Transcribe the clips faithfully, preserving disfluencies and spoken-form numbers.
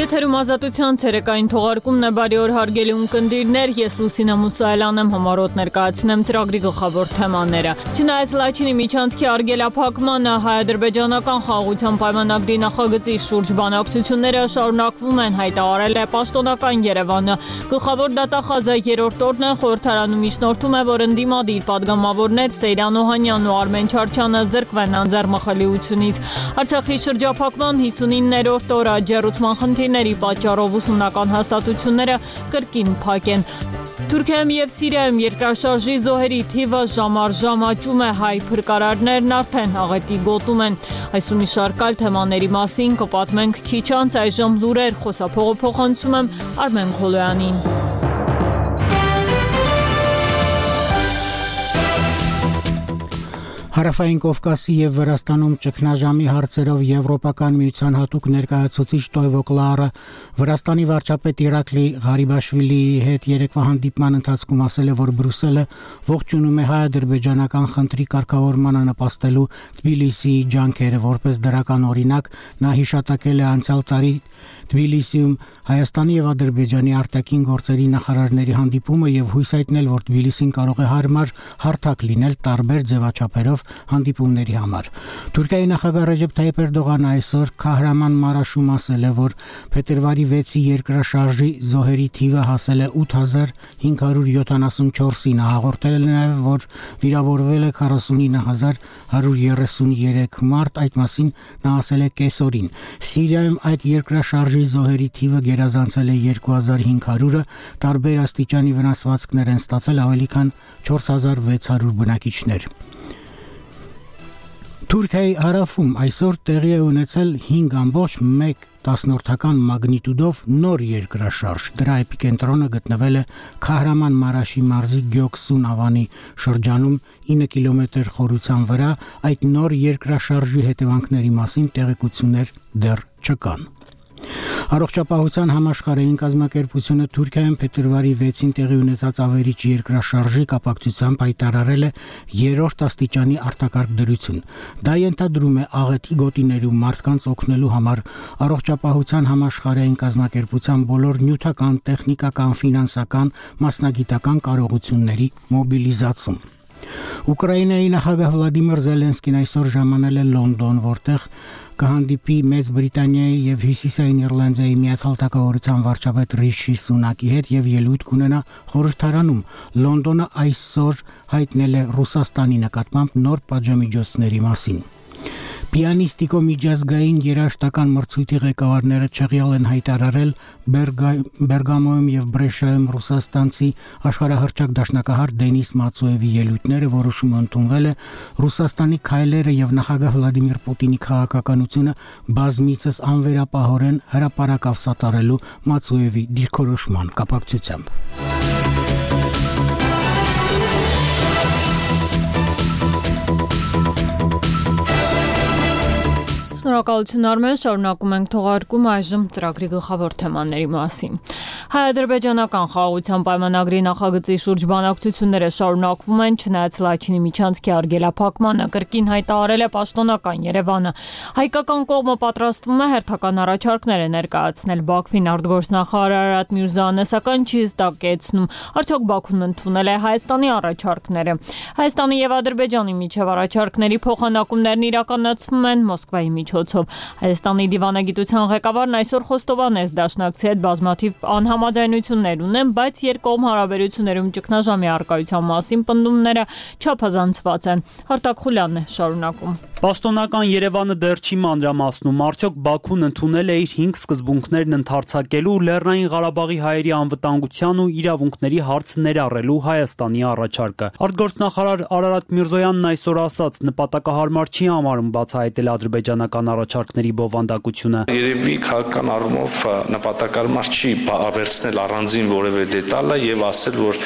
Եթերում ազատության ցերեկային թողարկումն է, բարի օր հարգելի ունկնդիրներ, ես Լուսինա Մուսայելան եմ, համառոտ ներկայացնեմ ծրագրի գլխավոր թեմաները։ Չնայած Լաչինի միջանցքի արգելափակմանը, հայ-ադրբեջանական խաղաղության պայմանագրի նախագծի շուրջ բանակցությունները շարունակվում են, հայտարարել է պաշտոնական Երևանը։ Գլխավոր դատախազը երրորդ օրն է խորհրդարանում միջնորդում է, որ ընդդիմադիր падգամավորներ Սեյրան Օհանյանն ու Արմեն Չարչյանը զրկվեն անձեռմխելիությունից։ Արցախի շրջափակման հիսունիններորդ օրը աջակցության խնդիրների պատճառով ուսումնական հաստատությունները կրկին փակ են։ Թուրքիայում եւ Սիրիայում երկրաշարժի զոհերի թիվը ժամ առ ժամ աճում է, հայ փրկարարներն արդեն աղետի գոտում են։ Այս ու մի շարք այլ թեմաների մասին կպատմենք քիչ անց, այժմ լուրեր, խոսափողը փոխանցում եմ Արմեն Քոլոյանին։ Հարավային Կովկասի եւ Վրաստանում ճգնաժամի հարցերով Եվրոպական միության հատուկ ներկայացուցիչ Տոյվո Կլարը Վրաստանի վարչապետ Իրակլի Ղարիբաշվիլիի հետ երեկվա հանդիպման ընթացքում ասել է, որ Բրյուսելը ողջունում է հայ-ադրբեջանական խնդրի կարգավորմանը նպաստելու Թբիլիսիի ջանքերը, որպես դրական օրինակ նա հիշատակել է անցյալ տարի Թբիլիսիում Հայաստանի եւ Ադրբեջանի արտաքին գործերի նախարարների հանդիպումը եւ հույս հայտնել, որ Թբիլիսին կարող է հարմար հարթակ լինել տարբեր ձևաչափերով հանդիպումների համար։ Թուրքիայի նախագահ Ռեջեփ Թայիփ Էրդողանը այսօր Քահրաման Մարաշում ասել է, որ փետրվարի վեցի երկրաշարժի զոհերի թիվը հասել է ութ հազար հինգ հարյուր յոթանասունչորսի, նա հաղորդել է նաեւ, որ վիրավորվել է քառասունինը հազար հարյուր երեսուներեք մարդ, այդ մասին նա ասել է կեսօրին։ Սիրիայում այդ երկրաշարժի զոհերի թիվը գերազանցել է երկու հազար հինգ հարյուրը, տարբեր աստիճանի վնասվածքներ են ստացել ավելի քան չորս հազար վեց հարյուր բնակիչներ։ Թուրքիայի հարավում այսօր տեղի է ունեցել հինգ ամբողջ մեկ տասնորդական մագնիտուդով նոր երկրաշարժ։ Դրա էպիկենտրոնը գտնվել է Քահրաման Մարաշի մարզի Գյոքսուն ավանի շրջանում ինը կիլոմետր խորության վրա։ Այդ նոր երկրաշարժի հետևանքների մասին տեղեկություններ դեռ չկան։ Առողջապահության համաշխարհային կազմակերպությունը Թուրքիայում փետրվարի վեցին տեղի ունեցած ավերիչ երկրաշարժի կապակցությամբ հայտարարել է երրորդ աստիճանի արտակարգ դրություն։ Դա ենթադրում է աղետի գոտիներում մարդկանց օգնելու համար առողջապահության համաշխարհային կազմակերպության բոլոր նյութական, տեխնիկական, ֆինանսական, մասնագիտական կարողությունների մոբիլիզացում։ Ուկրաինայի նախագահ Վլադիմիր Զելենսկին այսօր ժամանել է Լոնդոն, որտեղ կհանդիպի Մեծ Բրիտանիայի եւ Հյուսիսային Իռլանդիայի միացյալ թագավորության վարչապետ Ռիշի Սունակի հետ եւ ելույթ կունենա խորհրդարանում։ Լոնդոնը այսօր հայտնել է Ռուսաստանի նկատմամբ նոր պատժամիջոցների մասին։ Պիանիստիկո միջազգային երաժշտական մրցույթի ղեկավարները չեղյալ են հայտարարել Բերգամոյում եւ Բրեշայում ռուսաստանցի աշխարհահռչակ դաշնակահար Դենիս Մացոևի ելույթները, որոշումը ընդունվել է Ռուսաստանի քայլերը եւ նախագահ Վլադիմիր Պուտինի քաղաքականությունը բազմիցս անվերապահորեն հրապարակավ սատարելու Մացոևի դիրքորոշման կապակցությամբ։ Շնորհակալություն Արմեն, շարունակում ենք թողարկումը, այժմ ծրագրի գլխավոր թեմաների մասին։ Հայ-ադրբեջանական խաղաղության պայմանագրի նախագծի շուրջ բանակցությունները շարունակվում են, չնայած Լաչինի միջանցքի արգելափակմանը, կրկին հայտարարել է պաշտոնական Երևանը։ Հայկական կողմը պատրաստվում է հերթական առաջարկներ ներկայացնել Բաքվին, արտգործնախարար Արարատ Միրզոյանը սակայն չի հստակեցնում, արդյոք Բաքուն ընդունել է Հայաստանի առաջարկները։ Հայաստանի եւ Ադրբեջանի միջև առաջարկների փոխանակումներն իրականացվում են Մոսկվայի միջոցով։ Հայաստանի դիվանագիտության ղեկավարն այսօր խոստովանեց դաշնակցի հետ բազմաթիվ անհամաձայնություններ ունեն, բայց երկկողմ հարաբերություններում ճգնաժամի առկայության մասին պնդումները չափազանցված են։ Հարտակ Խուլյանն է շարունակում։ Պաշտոնական Երևանը դեռ չի մանրամասնում, արդյոք Բաքուն ընդունել է իր հինգ սկզբունքներն ընդարձակելու Լեռնային Ղարաբաղի հայերի անվտանգության ու իրավունքների հարցը ներառելու Հայաստանի առաջարկը։ Արտգործնախարար Արարատ Միրզոյանն այսօր ասաց, նպատակահարմար չի համարում բացահայտել ադրբեջանական առաջարկների բովանդակությունը։ Երևի քաղաքական առումով նպատակահարմար չի վերցնել առանձին որևէ դետալը եւ ասել, որ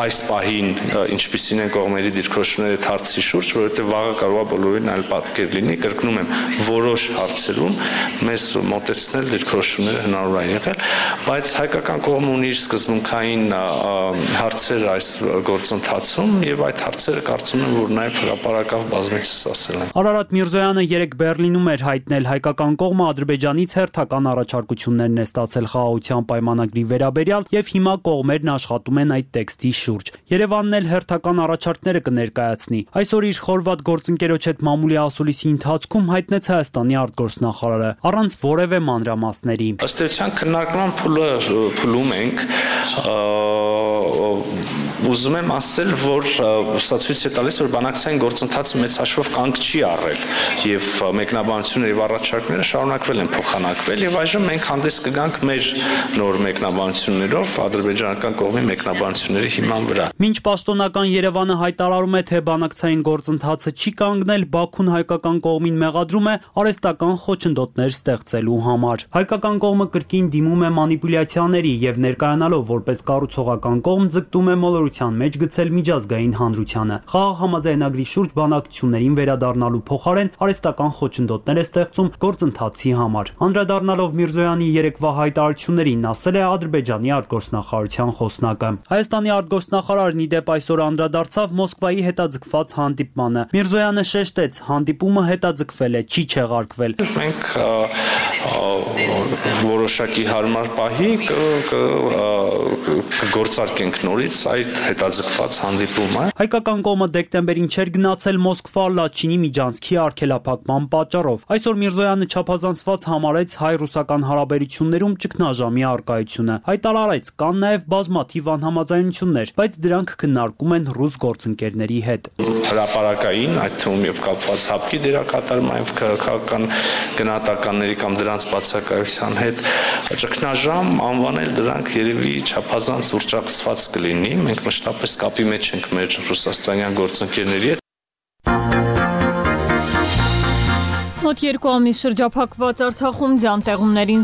այս պահին ինչպիսին են կողմերի դիրքորոշումները հարցի շուրջ, որովհետեւ վաղը կարող է բոլորին այլ պատկեր լինի, կրկնում եմ, որոշ հարցերում մեզ մոտեցնել դիրքորոշումները հնարավոր է եղել, բայց հայկական կողմը ունի իր սկզբունքային հարցեր այս գործընթացում եւ այդ հարցերը կարծում եմ, որ նաեւ հրապարակավ բազմիցս ասել են։ Արարատ Միրզոյանը երեկ Բեռլինում էր հայտնել հայկական կողմը Ադրբեջանից հերթական առաջարկություններն է ստացել խաղաղության պայմանագրի վերաբերյալ եւ հիմա կողմերն աշխատում են այդ տեքստի շուրջ։ Երևանն էլ հերթական առաջարկները կներկայացնի։ Այսօր իր խորվատ գործընկերոջ հետ մամուլի ասուլիսի ընթացքում հայտնեց Հայաստանի արտգործնախարարը առանց որևէ մանրամասների։ Ըստ էության քննարկման փուլը փուլում ենք, ուզում եմ ասել, որ սա ցույց է տալիս, որ բանակցային գործընթացը մեծ հաշվով կանգ չի առել եւ մեկնաբանությունները եւ առաջարկները շարունակվել են փոխանակվել եւ այժմ մենք հանդես կգանք մեր նոր մեկնաբանություններով ադրբեջանական կողմի մեկնաբանությունների հիման վրա։ Մինչ պաշտոնական Երևանը հայտարարում է, թե բանակցային գործընթացը չի կանգնել, Բաքուն հայկական կողմին մեղադրում է արհեստական խոչընդոտներ ստեղծելու համար։ Հայկական կողմը կրկին դիմում է մանիպուլյացիաների եւ ներկայանալով որպես կառուցողական կողմ ձգտում է մոլորության մեջ գցել միջազգային հանրությանը։ Խաղաղ համաձայնագրի շուրջ բանակցություններին վերադառնալու փոխարեն արհեստական խոչընդոտներ է ստեղծում գործընթացի համար։ Անդրադառնալով Միրզոյանի երեկվա հայտարարություններին, ասել է Ադրբեջանի արտգործնախարարության խոսնակը։ Հայաստանի արտգործնախարարն ի դեպ այսօր անդրադարձավ Մոսկվայի հետաձգված հանդիպմանը։ Միրզոյանը շեշտեց, հանդիպումը հետաձգվել է, չի չեղարկվել։ Մենք որոշակի հարմար պահի կգործարկենք նորից այդ հետաձգված հանդիպումը։ Հայկական կողմը դեկտեմբերին չէր գնացել Մոսկվա Լաչինի միջանցքի արգելափակման պատճառով։ Այսօր Միրզոյանը չափազանցված համարեց հայ-ռուսական հարաբերություններում ճգնաժամի առկայությունը։ Հայտարարեց, կան նաև բազմաթիվ անհամաձայնություններ, բայց դրանք քննարկում են ռուս գործընկերների հետ։ Հրապարակային, այդ թվում եւ կապված հապկի դերակատարման եւ քաղաքական գնահատականների կամ դրանց բացակայության հետ ճգնաժամ անվանել դրանք երևի չափազանց ուրճակցված կլինի։ Մենք մշտապես կապի մեջ ենք մեր ռուսաստանյան գործընկերների հետ։ Մոտ երկու ամիս շրջափակված Արցախում ձյան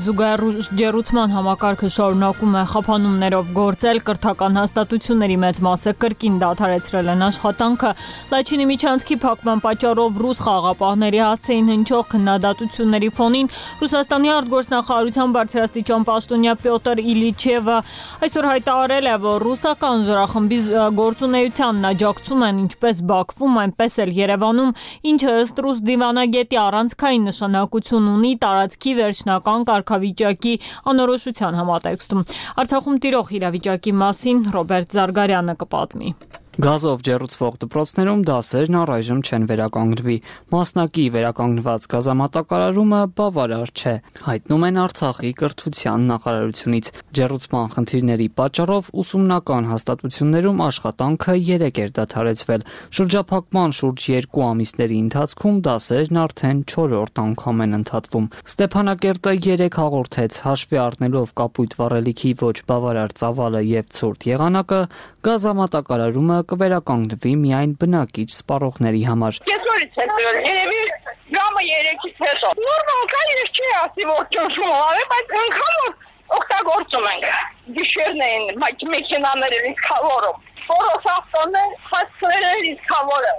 զուգահեռ ջեռուցման համակարգը շարունակում է խափանումներով գործել, կրթական հաստատությունների մեծ մասը կրկին դադարեցրել են աշխատանքը։ Լաչինի միջանցքի փակման պատճառով ռուս խաղաղապահների հասցեին հնչող քննադատությունների ֆոնին Ռուսաստանի արտգործնախարարության բարձրաստիճան պաշտոնյա Պյոտր Իլիչևը այսօր հայտարարել է, որ ռուսական զորախմբի գործունեությանն աջակցում են ինչպես Բաքվում, այնպես էլ Երևանում, ինչը ըստ ռուս դիվանագետի առանցքային նշանակություն ունի տարածքի վերջնական կարգավիճակի անորոշության համատեքստում։ Արցախում տիրող իրավիճակի մասին Ռոբերտ Զարգարյանը կպատմի։ Գազով ջեռուցվող դպրոցներում դասերն առայժմ չեն վերականգնվի։ Մասնակի վերականգնված գազամատակարարումը բավարար չէ, հայտնում են Արցախի կրթության նախարարությունից։ Ջեռուցման խնդիրների պատճառով ուսումնական հաստատություններում աշխատանքը երեք էր դադարեցվել։ Շրջափակման շուրջ երկու ամիսների ընթացքում դասերն արդեն չորրորդ անգամ են ընդհատվում։ Ստեփանակերտը երեք հաղորդեց, հաշվի առնելով կապույտ վառելիքի ոչ բավարար ծավալը եւ ցուրտ եղանակը, գազամատակարարումը կվերականգնվի միայն բնակիչ սպառողների համար։ Կեսօրից հետո երևի ժամը երեքից հետո։ Նորմալ կա, ես չի ասի, որ ճնշում արել, բայց անգամ օգտագործում ենք։ Գիշերն էին մեքենաները լիքավորում։ Ֆորոս ավտոն է, հասցրել են լիքավորը։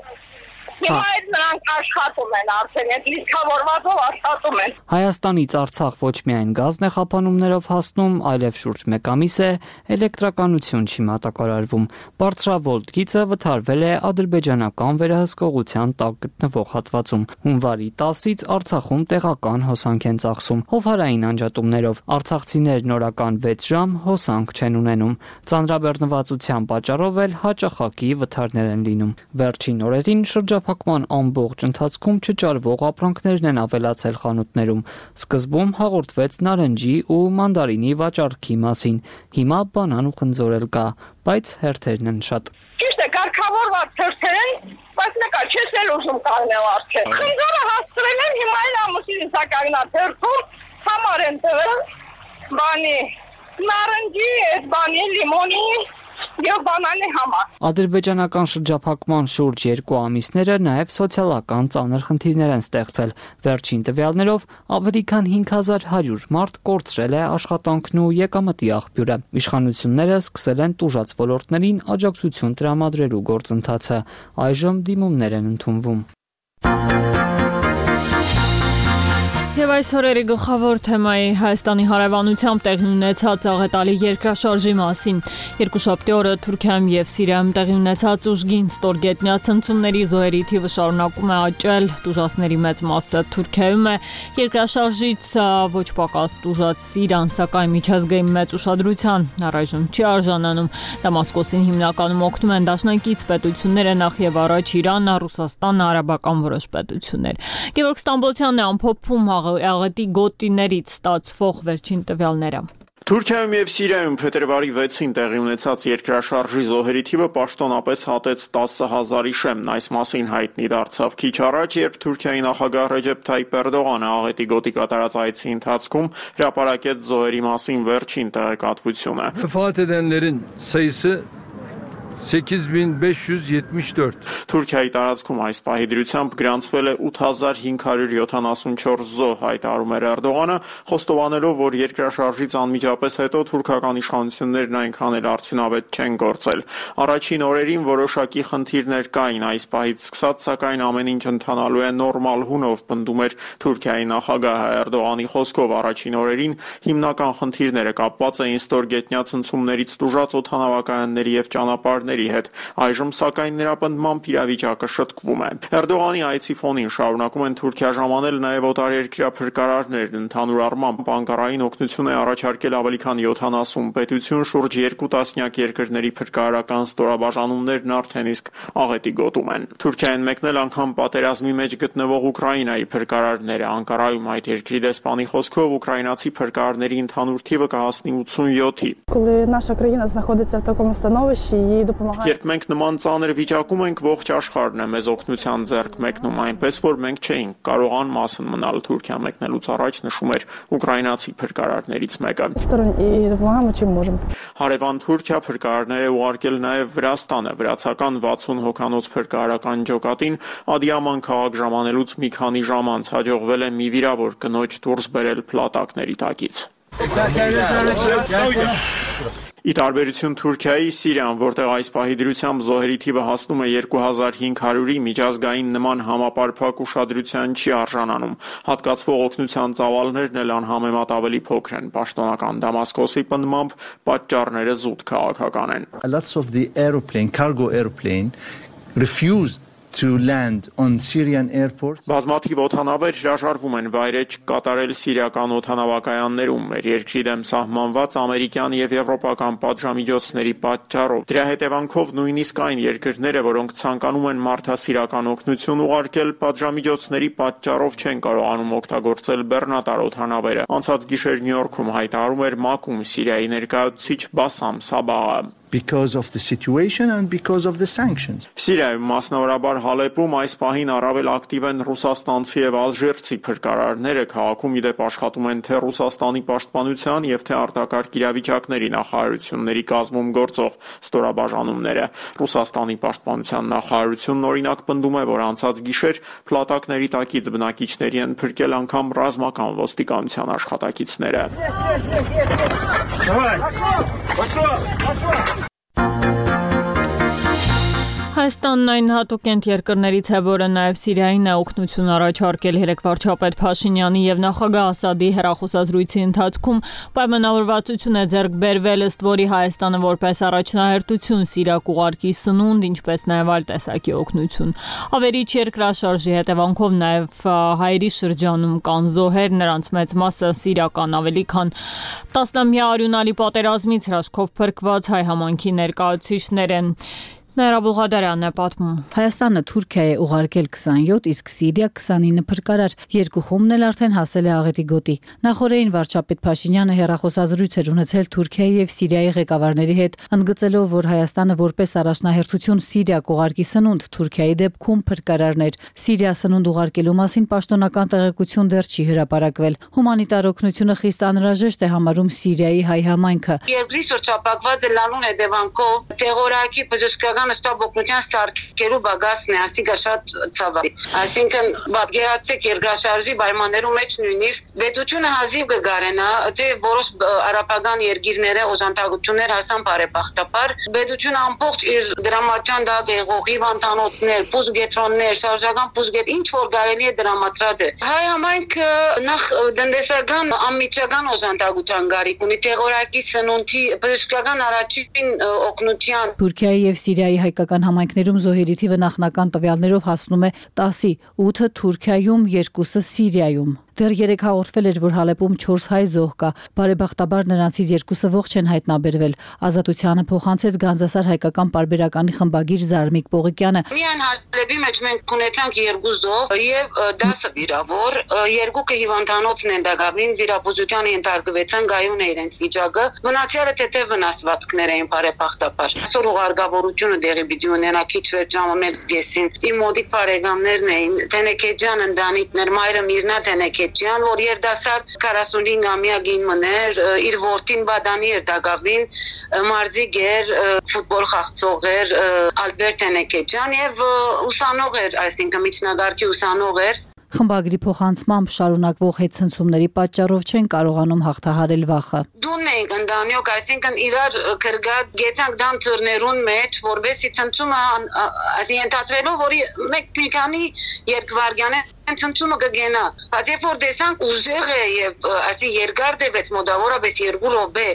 Հիմա այդ նրանք աշխատում են արդեն, այդ լիքավորվածով աշխատում են։ Հայաստանից Արցախ ոչ միայն գազն է խափանումներով հասնում, այլև շուրջ մեկ ամիս է էլեկտրականություն չի մատակարարվում։ Բարձրավոլտ գիծը վթարվել է ադրբեջանական վերահսկողության տակ գտնվող հատվածում։ Հունվարի տասից Արցախում տեղական հոսանք են ծախսում։ Հովհարային անջատումներով արցախցիներն օրական վեց ժամ հոսանք չեն ունենում։ Ծանրաբեռնվածության պատճառով էլ հաճախակի վթարներ են լինում։ Վերջին օրերին շրջափակման ամբողջ ընթացքում չճարվող ապրանքներն են ավելացել խանութներում։ Սկզբում հաղորդվեց նարնջի ու մանդարինի վաճառքի մասին։ Հիմա բանան ու խնձոր էլ կա, բայց հերթերն են շատ։ Ճիշտ է, կարգավորված թերթեր են, բայց նկա չես էլ ուզում կանգնել արդեն։ Խնձորը հասցրել են, հիմա էլ ամուսինս ակագնա թերթում համար են տվել բանի նարնջի, այդ բանի լիմոնի եւ բանանի համար։ Ադրբեջանական շրջափակման շուրջ երկու ամիսները նաև սոցիալական ծանր խնդիրներ են ստեղծել։ Վերջին տվյալներով ավելի քան հինգ հազար հարյուր մարդ կորցրել է աշխատանքն ու եկամտի աղբյուրը։ Իշխանությունները սկսել են տուժած ոլորտներին աջակցություն տրամադրելու գործընթացը։ Այժմ դիմումներ են ընդունվում։ Եվ այս օրերի գլխավոր թեմայի Հայաստանի հարևանությամբ տեղի ունեցած աղետալի երկրաշարժի մասին։ Երկուշաբթի օրը Թուրքիայում եւ Սիրիայում տեղի ունեցած ուժգին ստորգետնյա ցնցումների զոհերի թիվը շարունակում է աճել։ Տուժածների մեծ մասը Թուրքիայում է։ Երկրաշարժից ոչ պակաս տուժած Սիրիան, սակայն միջազգային մեծ ուշադրության առայժմ չի արժանանում։ Դամասկոսին հիմնականում օգնում են դաշնակից պետությունները, նախ եւ առաջ Իրանը, Ռուսաստանը, արաբական որոշ պետություններ։ Գևորգ Ստամբոլցյանն է ամփոփում աղետի գոտիներից ստացվող վերջին տվյալները։ Թուրքիայում եւ Սիրիայում փետրվարի վեցին տեղի ունեցած երկրաշարժի զոհերի թիվը պաշտոնապես հատեց տասը հազարի շեմն։ Այս մասին հայտնի դարձավ քիչ առաջ, երբ Թուրքիայի նախագահ Ռեջեփ Թայիփ Էրդողանը աղետի գոտի կատարած այցի ընթացքում հրապարակեց զոհերի մասին վերջին տեղեկատվությունը։ Vefat edenlerin sayısı sekiz bin beş yüz yetmiş dört. Թուրքիայի տարածքում այս պահի դրությամբ գրանցվել է ութ հազար հինգ հարյուր յոթանասունչորս զոհ, հայտարարում էր Էրդողանը, խոստովանելով, որ երկրաշարժից անմիջապես հետո թուրքական իշխանություններն այնքան էլ արդյունավետ չեն գործել։ Առաջին օրերին որոշակի խնդիրներ կային այս պահից սկսած, սակայն ամեն ինչ ընթանալու է նորմալ հունով, պնդում էր Թուրքիայի նախագահ Էրդողանի խոսքով։ Առաջին օրերին հիմնական խնդիրները կապված էին ստորգետնյա ցնցումներից տուժած օդանավակայանների եւ ճանապարհ հետ։ Այժմ սակայն նրա պնդմամբ իրավիճակը շտկվում է։ Էրդողանի այցի ֆոնին շարունակում են Թուրքիա ժամանել նաև օտարերկրյա փրկարարներն։ Ընդհանուր առմամբ Անկարային օգնություն է առաջարկել ավելի քան յոթանասուն պետություն, շուրջ երկու տասնյակ երկրների փրկարարական ստորաբաժանումներն արդեն իսկ աղետի գոտում են։ Թուրքիային մեկնել անգամ պատերազմի մեջ գտնվող Ուկրաինայի փրկարարները։ Անկարայում այդ երկրի դեսպանի խոսքով ուկրաինացի փրկարարների ընդհանուր թիվը կհասնի ութսունյոթի։ Երբ մենք նման ծանր վիճակում ենք, ողջ աշխարհն է մեզ օգնության ձեռք մեկնում, այնպես որ մենք չէինք կարող անմասն մնալ։ Թուրքիա մեկնելուց առաջ նշում էր ուկրաինացի փրկարարներից մեկը։ Հարևան Թուրքիա փրկարարներ է ուղարկել նաև Վրաստանը։ Վրացական վաթսուն հոգանոց փրկարարական ջոկատին Ադիաման քաղաք ժամանելուց մի քանի ժամ անց հաջողվել է մի վիրավոր կնոջ դուրս բերել փլատակների տակից։ Ի տարբերություն Թուրքիայի, Սիրիան, որտեղ այս պահի դրությամբ զոհերի թիվը հասնում է երկու հազար հինգ հարյուրի, միջազգային նման համապարփակ ուշադրության չի արժանանում։ Հատկացվող օգնության ծավալներն էլ անհամեմատ ավելի փոքր են։ Պաշտոնական Դամասկոսի պնդմամբ պատճառները զուտ քաղաքական են։ Lots of the airplane, cargo airplane refused to land on Syrian airports. Բազմաթիվ օդանավեր հրաժարվում են վայրեջ կատարել սիրիական օդանավակայաններում, մեր երկրի դեմ սահմանված ամերիկյան եւ եվրոպական պատժամիջոցների պատճառով։ Դրա հետևանքով նույնիսկ այն երկրները, որոնք ցանկանում են մարդասիրական օգնություն ուղարկել, պատժամիջոցների պատճառով չեն կարողանում օգտագործել բեռնատար օդանավերը։ Անցած գիշեր Նյու Յորքում հայտարարում էր ՄԱԿ-ում Սիրիայի ներկայացուցիչ Բասամ Սաբահը։ Because of the situation and because of the sanctions. Սիրիայում մասնավորաբար Հալեպում այս պահին առավել ակտիվ են ռուսաստանցի եւ ալժիրցի փրկարարները, քաղաքում իդեպ աշխատում են թե Ռուսաստանի պաշտպանության եւ թե արտակարգ իրավիճակների նախարարությունների կազմում գործող ստորաբաժանումները։ Ռուսաստանի պաշտպանության նախարարությունն օրինակ պնդում է, որ անցած գիշեր փլատակների տակից բնակիչների են փրկել անգամ ռազմական ոստիկանության աշխատակիցները։ Հայաստանն այն հատուկենտ երկրներից է, որը նաև Սիրիային է օգնություն առաջարկել երեք վարչապետ Փաշինյանի եւ նախագահ Ասադի հեռախոսազրույցի ընթացքում պայմանավորվածություն է ձեռք բերվել, ըստ որի Հայաստանը որպես առաջնահերթություն Սիրիա կուղարկի սնունդ, ինչպես նաև այլ տեսակի օգնություն։ Ավերիչ երկրաշարժի հետևանքով նաև հայերի շրջանում կան զոհեր, նրանց մեծ մասը սիրիական, ավելի քան տասնամյա արյունալի պատերազմից հրաշքով փրկված հայ համայնքի ներկայացուցիչներ են։ Նայրա Բուլղադարյանն է պատմում։ Հայաստանը Թուրքիա է ուղարկել քսանյոթ, իսկ Սիրիա քսանինը փրկարար։ Երկու խումբն էլ արդեն հասել է աղետի գոտի։ Նախորդին վարչապետ Փաշինյանը հեռախոսազրույց էր ունեցել Թուրքիայի եւ Սիրիայի ղեկավարների հետ, ընդգծելով, որ Հայաստանը որպես առաջնահերթություն Սիրիա կուղարկի սնունդ, Թուրքիայի դեպքում փրկարարներ։ Սիրիա սնունդ ուղարկելու մասին պաշտոնական տեղեկություն դեռ չի հրապարակվել։ Հումանիտար օգնությունը խիստ անհրաժեշտ է համարում Սիրիայի հայ համայնքը։ Երկրի շրջապակված է լալուն հետևանքով, տերորակի բժշկական պետական ստապ օգնության սարքելու բագասն է, ասիկա շատ ցավալի։ Այսինքն պատկերացրեք երկրաշարժի պայմաններում մեջ նույնիսկ պետությունը հազիվ կգարենա, թե որոշ արաբական երկիրները օժանդակություններ հասան բարեբախտաբար, պետությունը ամբողջ իր դրամատյան դա բեղողի վանտանոցներ, բուժգետրոններ, շարժական բուժգետ, ինչ որ կարելի է դրամատրած է։ Հայ համայնքը նախ տնտեսական անմիջական օժանդակության գարիք ունի, տեղորակի սնունդի, բժշկական առաջին օգնության։ Թուրքիայի եւ Սիրիայի հայկական համայնքներում զոհերի թիվը նախնական տվյալներով հասնում է տասի, ութը Թուրքիայում, երկուսը Սիրիայում։ Դեռ երեք հաղորդվել էր, որ Հալեպում չորս հայ զոհ կա։ Բարեբախտաբար նրանցից երկուսը ողջ են հայտնաբերվել։ Ազատությանը փոխանցեց Գանձասար հայկական պարբերականի խմբագիր Զարմիկ Պողիկյանը։ Միայն Հալեպի մեջ մենք ունեցանք երկու զոհ եւ դասը վիրավոր, երկուքը հիվանդանոցն են դակավին, վիրաբուժության ենթարկվեցան, գայուն է իրենց վիճակը։ Մնացյալը թեթև վնասվածքներ էին բարեբախտաբար։ Այսօր ուղարկավորությունը դեղի պիտի ունենա քիչ վեր ժամը մեկ կեսին։ Իմ մոդիկ բարեկամներն էին, Թենեկեջյան ընտանիքներ, մայրը Միրնա Թենեկեջյան, որ երդասարդ քառասունհինգամյա գին մներ, իր որդին Բադանի էր դակավին, մարզիկ էր, ֆուտբոլ խաղացող էր Ալբերտ Թենեկեջյան եւ ուսանող էր, այսինքն միջնակարգի ուսանող էր։ Խմբագրի փոխանցմամբ շարունակվող հետցնցումների պատճառով չեն կարողանում հաղթահարել վախը։ Դուն ենք ընդանյոք, այսինքն իրար կրգած գետանք դամ ծրներուն մեջ, որբեսի ցնցումը այսինքն ընդհանրելով, որի մեկ մի քանի երկվարգյան է ցնցումը կգենա, բայց երբ որ տեսանք ուժեղ է եւ այսի երկար դեպեց մոտավորապես երկու րոպե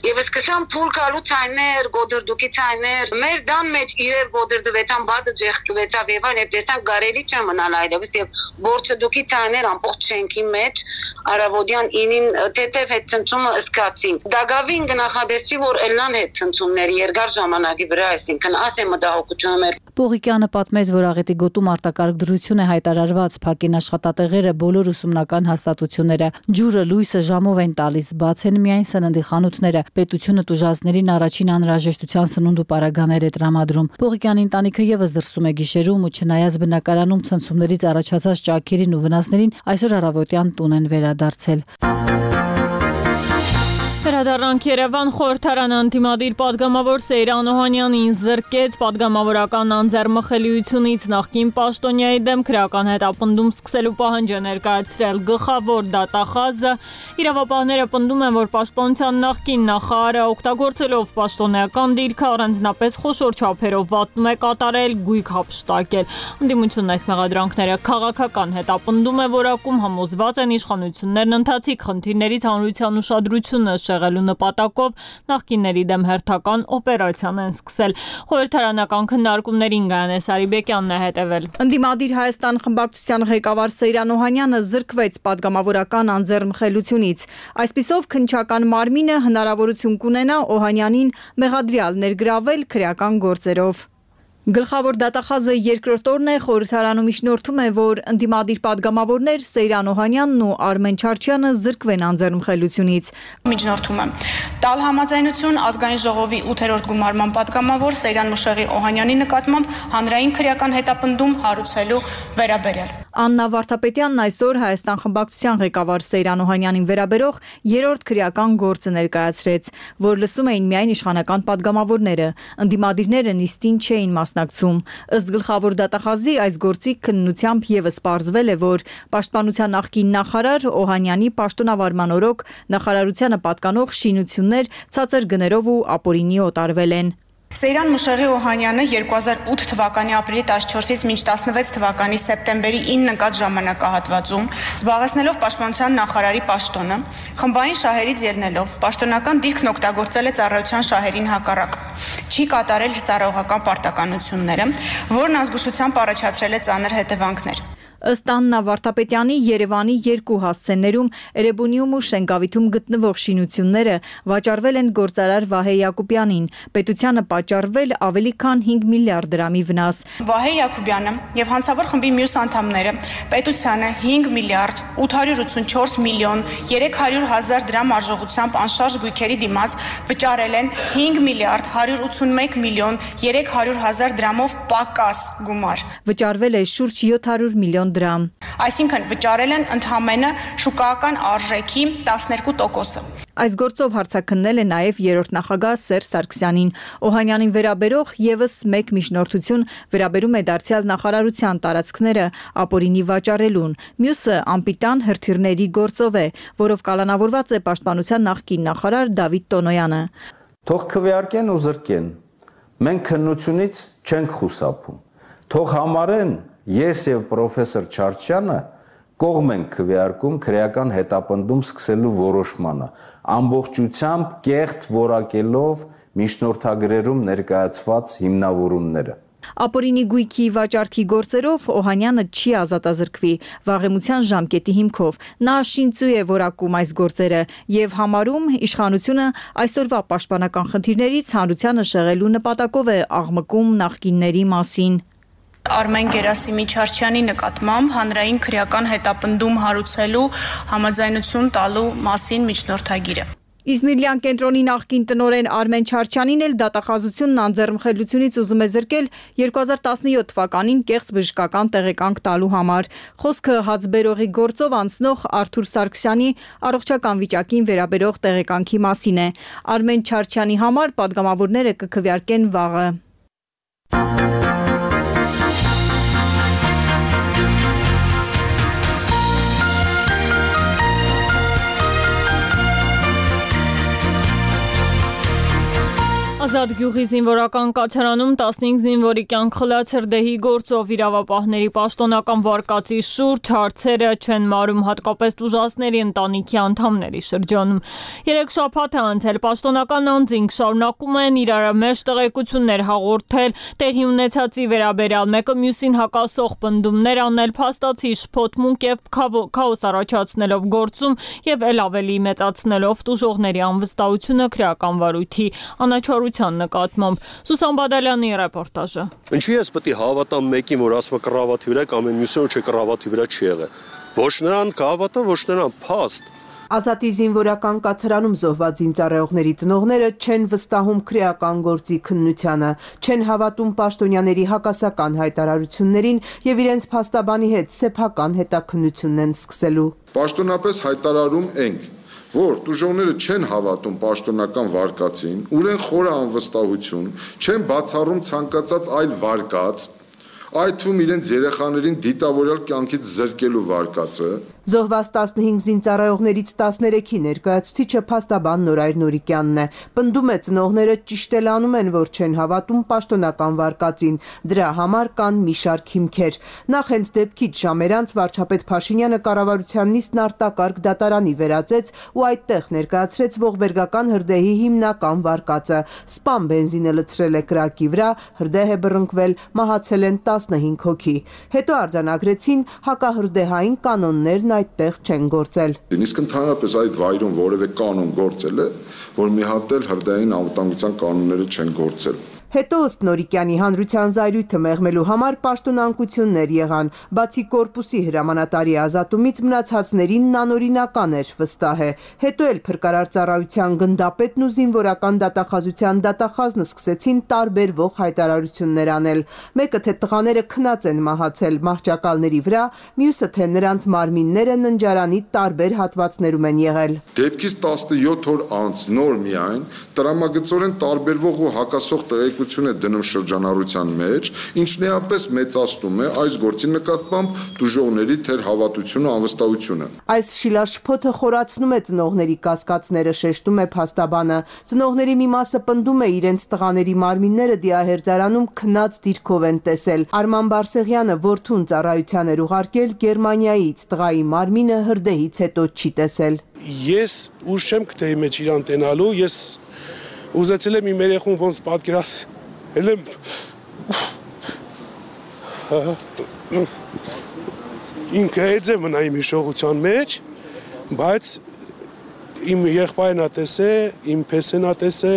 եւ սկսան փուլ կալու ցայներ, գոդրդուկի ցայներ, մեր դան մեջ իրեր գոդրդվեցան, բադը ջեղկվեցավ եւ այլ, եւ տեսանք գարելի չէ մնալ այլևս եւ բորչդուկի ցայներ ամբողջ շենքի մեջ Արավոդյան ինին թեթև հետ ցնցումը սկացին։ Դագավին գնահատեցի, որ ելնան հետ ցնցումների երկար ժամանակի վրա, այսինքն ասե մտահոգությունը մեր։ Պողիկյանը պատմեց, որ աղետի գոտում արտակարգ դրություն է հայտարարված, փակին աշխատատեղերը, բոլոր ուսումնական հաստատությունները, ջուրը, լույսը ժամով են տալիս, բաց են միայն սննդի խանութները, պետությունը տուժածներին առաջին անհրաժեշտության սնունդ ու պարագաներ է տրամադրում։ Պողիկյանի ընտանիքը եւս դրսում է գիշերում ու չնայած բնակարանում ցնցումներից առաջացած ճաքերին ու վնասներին, այսօր առավոտյան տուն են վերադարձել։ Վերադառնանք Երևան, խորհրդարանը ընդդիմադիր պատգամավոր Սեյրան Օհանյանին զրկեց պատգամավորական անձեռմխելիությունից, նախկին պաշտոնյայի դեմ քրեական հետապնդում սկսելու պահանջ է ներկայացրել գլխավոր դատախազը։ Իրավապահները պնդում են, որ պաշտպանության նախկին նախարարը օգտագործելով պաշտոնեական դիրքը առանձնապես խոշոր չափերով վատնում է կատարել, գույք հափշտակել։ Ընդդիմությունն այս մեղադրանքները քաղաքական հետապնդում է որակում, համոզված են իշխանություններն ընթացիկ խնդիրներից հանրության ուշադրությունը շեղելու նպատակով նախկինների դեմ հերթական օպերացիան են սկսել։ Խորհրդարանական քննարկումներին Գայանե Սարիբեկյանն է հետևել։ Ընդդիմադիր Հայաստան խմբակցության ղեկավար Սեյրան Օհանյանը զրկվեց պատգամավորական անձեռնմխելությունից։ Այսպիսով քննչական մարմինը հնարավորություն կունենա Օհանյանին մեղադրյալ ներգրավել քրեական գործերով։ Գլխավոր դատախազը երկրորդ օրն է խորհրդարանում իջնորդում է, որ ընդդիմադիր պատգամավորներ Սեյրան Օհանյանն ու Արմեն Չարչյանը զրկվեն անձեռնմխելությունից։ Միջնորդում է տալ համաձայնություն ազգային ժողովի ութերորդ գումարման պատգամավոր Սեյրան Մուշեղի Օհանյանի նկատմամբ հանրային քրեական հետապնդում հարուցելու վերաբերյալ։ Աննա Վարդապետյանն այսօր Հայաստան խմբակցության ղեկավար Սեյրան Օհանյանին վերաբերող երրորդ քրեական գործը ներկայացրեց, որ լսում էին միայն իշխանական պատգամավորները, ընդդիմադիրները նիստին չէին մասնակցում։ Ըստ գլխավոր դատախազի այս գործի քննությամբ եւս պարզվել է, որ պաշտպանության նախկին նախարար Օհանյանի պաշտոնավարման օրոք նախարարությանը պատկանող շինություններ ցածր գներով ու ապօրինի օտարվել են։ Սեյրան Մուշեղի Օհանյանը երկու հազար ութ թվականի ապրիլի տասնչորսից մինչ տասնվեց թվականի սեպտեմբերի ինը ընկած ժամանակահատվածում զբաղեցնելով պաշտպանության նախարարի պաշտոնը, խմբային շահերից ելնելով պաշտոնական դիրքն օգտագործել է ծառայության շահերին հակառակ, չի կատարել ծառայողական պարտականությունները, որն ազգուշությամբ առաջացրել է ծանր հետևանքներ։ Ըստ Աննա Վարդապետյանի Երևանի երկու հասցեներում Էրեբունիում ու Շենգավիթում գտնվող շինությունները վաճառվել են գործարար Վահե Յակոբյանին, պետությանը պատճառվել ավելի քան հինգ միլիարդ դրամի վնաս։ Վահե Յակոբյանը եւ հանցավոր խմբի մյուս անդամները պետությանը հինգ միլիարդ ութ հարյուր ութսունչորս միլիոն երեք հարյուր հազար դրամ արժողությամբ անշարժ գույքերի դիմաց վճարել են հինգ միլիարդ հարյուր ութսունմեկ միլիոն երեք հարյուր հազար դրամով պակաս գումար։ Վճարվել է շուրջ յոթ հարյուր միլիոն միլիոն դրամ։ Այսինքն վճարել են ընդհանրապես շուկայական արժեքի տասներկու տոկոսը։ Այս գործով հարցաքննել է նաև երրորդ նախագահ Սերժ Սարգսյանին։ Օհանյանին վերաբերող եւս մեկ միջնորդություն վերաբերում է դարձյալ նախարարության տարածքները ապօրինի վաճառելուն։ Մյուսը անպիտան հրթիռների գործով է, որով կալանավորված է պաշտպանության նախկին նախարար Դավիթ Տոնոյանը։ Թող քվեարկեն ու զրկեն։ Մենք քննությունից չենք խուսափում։ Թող համարեն ես եւ պրոֆեսոր Չարչյանը կողմ ենք քվեարկում քրեական հետապնդում սկսելու որոշմանը, ամբողջությամբ կեղծ որակելով միջնորդագրերում ներկայացված հիմնավորումները։ Ապօրինի գույքի վաճառքի գործերով Օհանյանը չի ազատազրկվի վաղեմության ժամկետի հիմքով։ Նա շինծու է որակում այս գործերը եւ համարում իշխանությունը այսօրվա պաշտպանական խնդիրներից հանրությանը շեղելու նպատակով է աղմկում նախկինների մասին։ Արմեն Գերասիմի Չարչյանի նկատմամբ հանրային քրեական հետապնդում հարուցելու համաձայնություն տալու մասին միջնորդագիրը։ Իզմիրլյան կենտրոնի նախկին տնօրեն Արմեն Չարչյանին էլ դատախազությունն անձեռնմխելությունից ուզում է զրկել երկու հազար տասնյոթ թվականին կեղծ բժշկական տեղեկանք տալու համար։ Խոսքը հացբերողի գործով անցնող Արթուր Սարգսյանի առողջական վիճակին վերաբերող տեղեկանքի մասին է։ Արմեն Չարչյանի համար պատգամավորները կքվեարկեն վաղը։ Ազատ գյուղի զինվորական կացարանում տասնհինգ զինվորի կյանք խլած հրդեհի գործով իրավապահների պաշտոնական վարկածի շուրջ հարցերը չեն մարում հատկապես տուժածների ընտանիքի անդամների շրջանում։ Երեք շաբաթ է անցել պաշտոնական անձինք շարունակում են իրար մեջ տեղեկություններ հաղորդել տեղի ունեցածի վերաբերյալ մեկը մյուսին հակասող պնդումներ անել փաստացի շփոթմունք եւ քաոս առաջացնելով գործում եւ ել ավելի մեծացնելով տուժողների անվստահությունը քրեական վարույթի անաչառության նկատմամբ։ Սուսան Բադալյանի ռեպորտաժը։ Ինչի՞ ես պետք է հավատամ մեկին, որ ասում է կռավատի վրա կամ մյուսին, որ չէ կռավատի վրա չի եղել։ Ոչ նրան կհավատա, ոչ նրան փաստ։ Ազատի զինվորական կացարանում զոհված զինծառայողների ծնողները չեն վստահում քրեական գործի քննությանը, չեն հավատում պաշտոնյաների հակասական հայտարարություններին եւ իրենց փաստաբանի հետ սեփական հետաքննությունն են սկսելու։ Պաշտոնապես հայտարարում ենք, որ տուժողները չեն հավատում պաշտոնական վարկածին, ունեն խորը անվստահություն, չեն բացառում ցանկացած այլ վարկած, այդ թվում իրենց երեխաներին դիտավորյալ կյանքից զրկելու վարկածը։ Զոհված տասնհինգ զինծառայողներից տասներեքի ներկայացուցիչը փաստաբան Նորայր Նորիկյանն է։ Պնդում է ծնողները ճիշտ էլ անում են, որ չեն հավատում պաշտոնական վարկածին։ Դրա համար կան մի շարք հիմքեր։ Նախ հենց դեպքից ժամեր անց վարչապետ Փաշինյանը կառավարության նիստն արտակարգ դատարանի վերածեց ու այդտեղ ներկայացրեց ողբերգական հրդեհի հիմնական վարկածը։ Սպամ բենզինը լցրել է կրակի վրա, հրդեհ է բռնկվել, մահացել են տասնհինգ հոգի։ Հետո արձանագրեցին հակահրդեհային կանոններն այդտեղ չեն գործել։ Իսկ ընդհանրապես այդ վայրում որևէ կանոն գործել է, որ մի հատ էլ հրդեհային անվտանգության կանոնները չեն գործել։ Հետո ըստ Նորիկյանի հանրության զայրույթը մեղմելու համար պաշտոնանկություններ եղան, բացի կորպուսի հրամանատարի ազատումից մնացածներին անօրինական էր, վստահ է։ Հետո էլ փրկարար ծառայության գնդապետն ու զինվորական դատախազության դատախազն սկսեցին տարբերվող հայտարարություններ անել։ Մեկը թե տղաները քնած են մահացել մահճակալների վրա, մյուսը թե նրանց մարմինները ննջարանի տարբեր հատվածներում են եղել։ Դեպքից տասնյոթ օր անց նոր միայն տրամագծորեն տարբերվող ու հակասող տեղեկ է դնում շրջանառության մեջ, ինչն էապես մեծացնում է այս գործի նկատմամբ տուժողների թեր հավատությունը, անվստահությունը։ Այս շիլաշփոթը խորացնում է ծնողների կասկածները, շեշտում է փաստաբանը։ Ծնողների մի մասը պնդում է իրենց տղաների մարմինները դիահերձարանում քնած դիրքով են տեսել։ Արման Բարսեղյանը որդուն ծառայության էր ուղարկել Գերմանիայից, տղայի մարմինը հրդեհից հետո չի տեսել։ Ես ուժ չեմ գտել մեջ իրան տենալու, ես ուզեցել եմ իմ երեխուն ոնց պատկերացնել եմ ինքը էձ է մնա իմ հիշողության մեջ, բայց իմ եղբայրն ա տեսե, իմ փեսեն ա տեսե,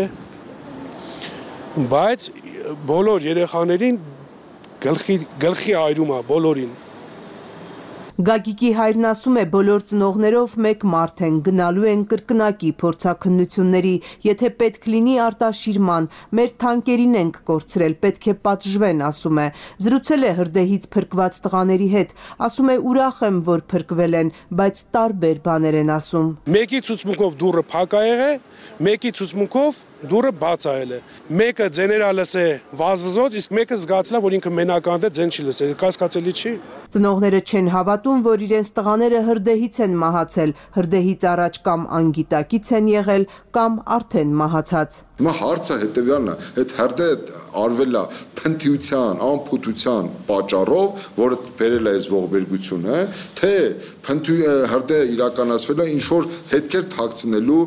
բայց բոլոր երեխաներին գլխի, գլխի այրում ա բոլորին։ Գագիկի հայրն ասում է, բոլոր ծնողներով մեկ մարդ են, գնալու են կրկնակի փորձաքննությունների, եթե պետք լինի արտաշիրման, մեր թանկերին ենք կորցրել, պետք է պատժվեն, ասում է։ Զրուցել է հրդեհից փրկված տղաների հետ, ասում է ուրախ եմ, որ փրկվել են, բայց տարբեր բաներ են ասում։ Մեկի ցուցմունքով դուռը փակ ա եղել, մեկի ցուցմունքով դուռը բաց ա եղել։ Մեկը ձեներա լսե վազվզոց, իսկ մեկը զգացել է, որ ինքը մենական է, ձեն չի լսել։ Կասկածելի չի։ Ծնողները չեն հավատում, որ իրենց տղաները հրդեհից են մահացել, հրդեհից առաջ կամ անգիտակից են եղել, կամ արդեն մահացած։ Հիմա հարցը հետևյալն է, այդ հրդեհը արվել է փնթիության, անփութության պատճառով, որը բերել է այս ողբերգությունը, թե հրդեհը իրականացվել է ինչ որ հետքեր թաքցնելու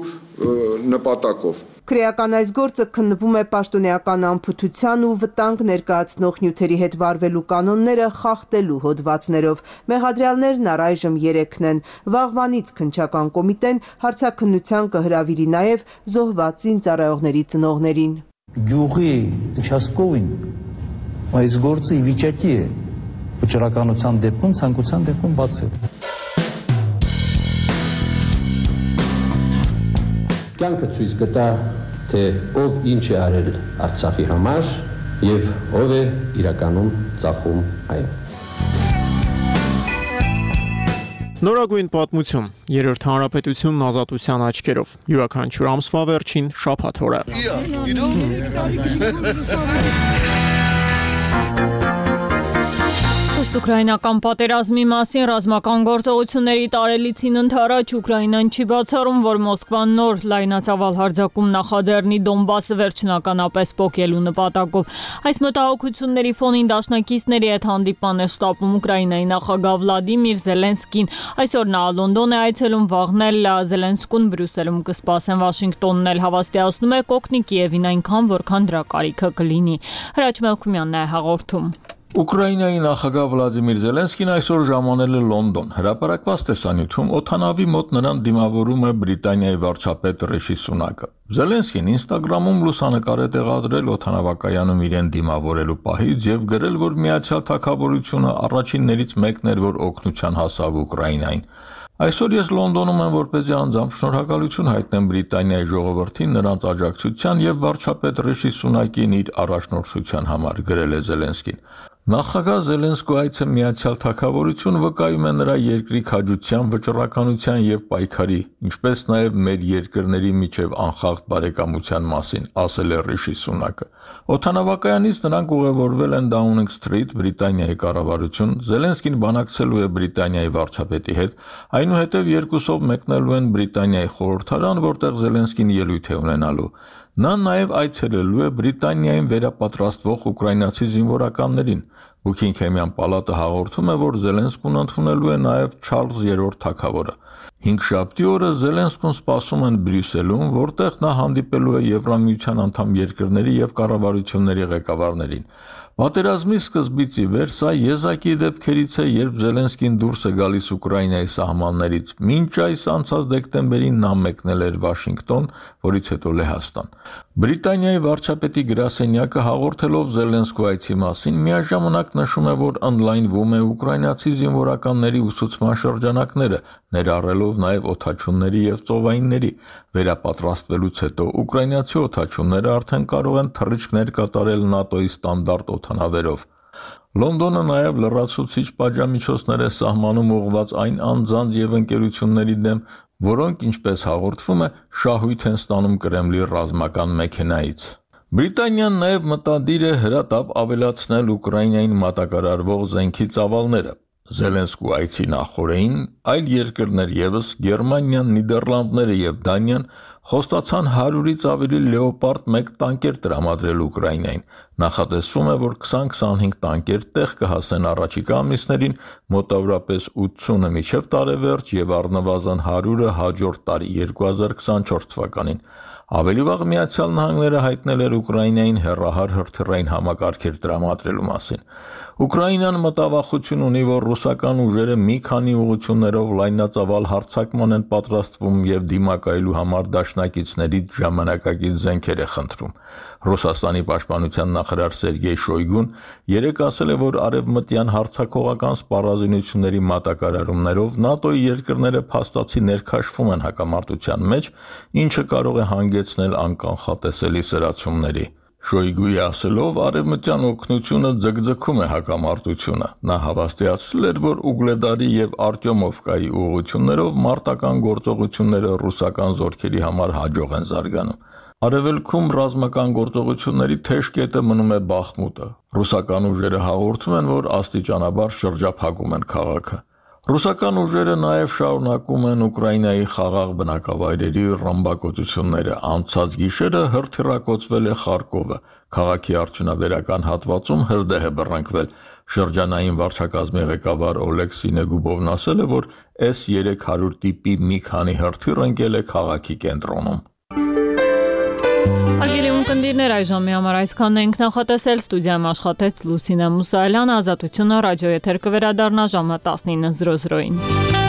նպատակով։ Քրեական այս գործը քննվում է պաշտոնեական անփութության ու վտանգ ներկայացնող նյութերի հետ վարվելու կանոնները խախտելու հոդվածներով։ Մեղադրյալներն առայժմ երեքն են։ Վաղվանից քննչական կոմիտեն հարցաքննության կհրավիրի նաև զոհված զինծառայողների ծնողներին։ Գյուղի участковին այս գործը ի վիճակի է վճռականության դեպքում, ցանկության դեպքում բացել։ Կյանքը ցույց կտա, թե ով ինչ է արել Արցախի համար եւ ով է իրականում ծախում այն։ Նորագույն պատմություն, երրորդ հանրապետությունն ազատության աչքերով, յուրաքանչյուր ամսվա վերջին շաբաթ օրը։ Ուկրաինական պատերազմի մասին ռազմական գործողությունների տարելիցին ընթരാճ Ուկրաինան չի բացառում, որ Մոսկվան նոր լայնածավալ հարձակում նախաձեռնի Դոնբասը վերջնականապես պոկելու նպատակով։ Այս մտահոգությունների ֆոնին դաշնակիցների հետ հանդիպան է շտապում Ուկրաինայի նախագահ Վլադիմիր Զելենսկին։ Այսօր նա Լոնդոն է այցելում, վաղնել Զելենսկուն Բրյուսելում կսպասեն։ Վաշինգտոնն էլ հավաստիացնում է կօգնի Կիևին այնքան, որքան դրա կարիքը կլինի։ Հրաչ Մելքումյանն է հաղորդում։ Ուկրաինայի նախագահ Վլադիմիր Զելենսկին այսօր ժամանել է Լոնդոն։ Հրապարակված տեսանյութում օդանավի մոտ նրան դիմավորում է Բրիտանիայի վարչապետ Ռիշի Սունակը։ Զելենսկին Ինստագրամում լուսանկար է տեղադրել օդանավակայանում իրեն դիմավորելու պահից եւ գրել, որ Միացյալ Թագավորությունը առաջիններից մեկն էր, որ օգնության հասավ Ուկրաինային։ Այսօր ես Լոնդոնում եմ, որպեսզի անձամբ շնորհակալություն հայտնեմ Բրիտանիայի ժողովրդին նրանց աջակցության եւ վարչապետ Ռիշի Սունակին իր առաջնորդության համար, գրել է Զելենսկին։ Նախագահ Զելենսկու այցը Միացյալ Թագավորություն վկայում է նրա երկրի քաջության, վճռականության եւ պայքարի, ինչպես նաեւ մեր երկրների միջև անխախտ բարեկամության մասին, ասել է Ռիշի Սունակը։ Օդանավակայանից նրանք ուղևորվել են Դաունինգ Սթրիթ, Բրիտանիայի կառավարություն, Զելենսկին բանակցելու է Բրիտանիայի վարչապետի հետ, այնուհետև երկուսով մեկնելու են Բրիտանիայի խորհրդարան, որտեղ Զելենսկին ելույթ է ունենալու։ Նա նաև այցելելու է Բրիտանիային վերապատրաստվող ուկրաինացի զինվորականներին։ Բուքինգհեմյան պալատը հաղորդում է, որ Զելենսկուն ընդունելու է նաև Չարլզ երրորդ թագավորը։ Հինգշաբթի օրը Զելենսկուն սպասում են Բրյուսելում, որտեղ նա հանդիպելու է Եվրամիության անդամ երկրների եւ կառավարությունների ղեկավարներին։ Պատերազմի սկզբից ի վեր սա եզակի դեպքերից է, երբ Զելենսկին դուրս է գալիս Ուկրաինայի սահմաններից։ Մինչ այս անցած դեկտեմբերին նա մեկնել էր Վաշինգտոն, որից հետո Լեհաստան։ Բրիտանիայի վարչապետի գրասենյակը հաղորդելով Զելենսկու այցի մասին միաժամանակ նշում է, որ ընդլայնվում է ուկրաինացի զինվորականների ուսուցման շրջանակները, ներառելով նաև օդաչունների եւ ծովայինների։ Վերապատրաստվելուց հետո ուկրաինացի օդաչունները արդեն կարող են թռիչքներ կատարել ՆԱՏՕ-ի ստանդարտ օդանավերով։ Լոնդոնը նաև լրացուցիչ պատժամիջոցներ է սահմանում ուղղված այն անձանց եւ ընկերությունների դեմ, որոնք, ինչպես հաղորդվում է, շահույթ են ստանում Կրեմլի ռազմական մեքենայից։ Բրիտանիան նաև մտադիր է հրատապ ավելացնել Ուկրաինային մատակարարվող զենքի ծավալները։ Զելենսկու այցի նախօրեին այլ երկրներ եւս Գերմանիան, Նիդերլանդները եւ Դանիան խոստացան հարյուրից ավելի Լեոպարդ մեկ տանկեր տրամադրել Ուկրաինային։ Նախատեսվում է, որ քսան քսանհինգ տանկեր տեղ կհասեն առաջիկա ամիսներին, մոտավորապես ութսունը մինչև տարեվերջ եւ առնվազն հարյուրը հաջորդ տարի երկու հազար քսանչորս թվականին։ Ավելի վաղ Միացյալ Նահանգները հայտնել էր Ուկրաինային հեռահար հրթիռային համակարգեր տրամադրելու մասին։ Ուկրաինան մտավախություն ունի, որ ռուսական ուժերը մի քանի ուղղություններով լայնածավալ հարձակման են պատրաստվում եւ դիմակայելու համար դաշնակիցներից ժամանակակից զենքեր է խնդրում։ Ռուսաստանի պաշտպանության նախարար Սերգեյ Շոյգուն երեկ ասել է, որ արևմտյան հարձակողական սպառազինությունների մատակարարումներով ՆԱՏՕ-ի երկրները փաստացի ներքաշվում են հակամարտության մեջ, ինչը կարող է հանգեցնել անկանխատեսելի սրացումների։ Շոյգուի ասելով, արևմտյան օգնությունը ձգձգում է հակամարտությունը։ Նա հավաստիացրել էր, որ Ուգլեդարի եւ Արտյոմովկայի ուղղություններով մարտական գործողությունները ռուսական զորքերի համար հաջող են զարգանում։ Արևելքում ռազմական գործողությունների թեժ կետը մնում է Բախմուտը։ Ռուսական ուժերը հաղորդում են, որ աստիճանաբար շրջափակում են քաղաքը։ Ռուսական ուժերը նաև շարունակում են Ուկրաինայի խաղաղ բնակավայրերի ռմբակոծությունները։ Անցած գիշերը հրթիռակոծվել է Խարկովը։ Քաղաքի արդյունաբերական հատվածում հրդեհ է բռնկվել։ Շրջանային վարչակազմի ղեկավար Օլեգ Սինեգուբովն ասել է, որ S երեք հարյուր տիպի մի քանի հրթիռ ընկել է քաղաքի կենտրոնում։ Հարգելի ունկնդիրներ, այժմի համար այսքանն ենք նախատեսել։ Ստուդիայում աշխատեց Լուսինե Մուսայելյանը, Ազատությունը ռադիոեթեր կվերադառնա ժամը տասնինը զրո զրոին։